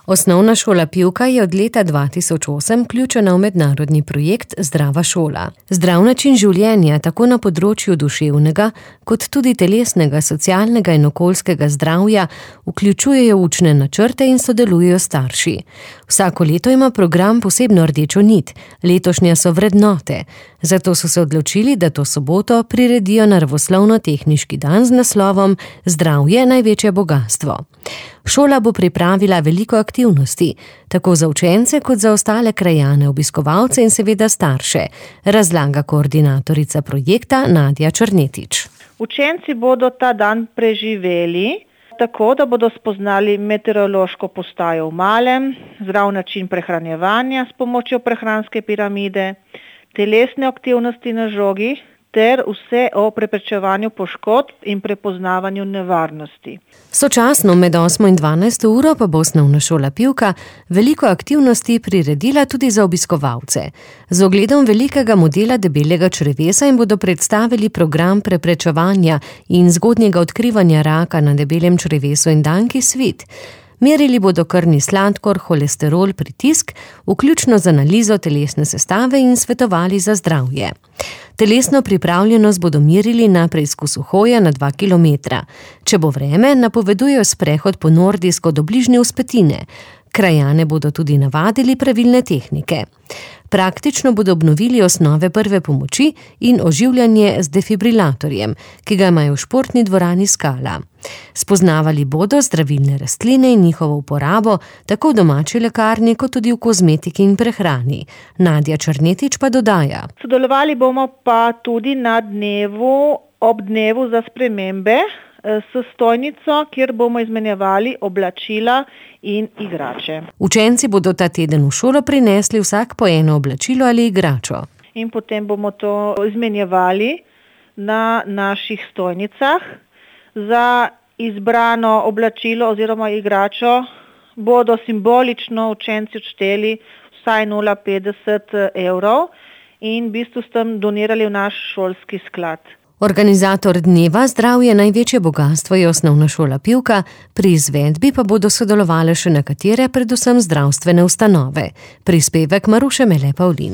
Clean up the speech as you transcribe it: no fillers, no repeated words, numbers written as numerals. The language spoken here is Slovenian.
Osnovna šola Pivka je od leta 2008 vključena v mednarodni projekt Zdrava šola. Zdrav način življenja tako na področju duševnega, kot tudi telesnega, socialnega in okoljskega zdravja vključujejo učne načrte in sodelujejo starši. Vsako leto ima program posebno rdečo nit, letošnja so vrednote. Zato so se odločili, da to soboto priredijo naravoslovno-tehniški dan z naslovom Zdravje največje bogastvo. Šola bo pripravila veliko aktivnosti, tako za učence kot za ostale krajane, obiskovalce in seveda starše, razlaga koordinatorica projekta Nadja Črnetič. Učenci bodo ta dan preživeli tako, da bodo spoznali meteorološko postajo v malem, zdrav način prehranjevanja s pomočjo prehranske piramide, telesne aktivnosti na žogi ter vse o preprečevanju poškodb in prepoznavanju nevarnosti. Sočasno med 8 in 12 uro pa bo osnovna šola Pivka veliko aktivnosti priredila tudi za obiskovalce. Z ogledom velikega modela debelega črevesa jim bodo predstavili program preprečevanja in zgodnjega odkrivanja raka na debelem črevesu in danki svit. Merili bodo krvni sladkor, holesterol, pritisk, vključno z analizo telesne sestave in svetovali za zdravje. Telesno pripravljenost bodo merili na preizkusu hoje na 2 kilometra. Če bo vreme, napovedujejo sprehod po nordijsko do bližnje vzpetine. Krajane bodo tudi navadili pravilne tehnike. Praktično bodo obnovili osnove prve pomoči in oživljanje z defibrilatorjem, ki ga imajo v športni dvorani Skala. Spoznavali bodo zdravilne rastline in njihovo uporabo, tako v domači lekarni, kot tudi v kozmetiki in prehrani. Nadja Črnetič pa dodaja. Sodelovali bomo pa tudi na ob dnevu za spremembe s stojnico, kjer bomo izmenjevali oblačila in igrače. Učenci bodo ta teden v šolo prinesli vsak po eno oblačilo ali igračo. In potem bomo to izmenjevali na naših stojnicah. Za izbrano oblačilo oziroma igračo bodo simbolično učenci odšteli vsaj 0,50 evrov in v bistvu s tem donirali v naš šolski sklad. Organizator dneva Zdravje največje bogastvo je osnovna šola Pivka, pri izvedbi pa bodo sodelovale še nekatere, predvsem zdravstvene ustanove. Prispevek Maruše Mele Pavlin.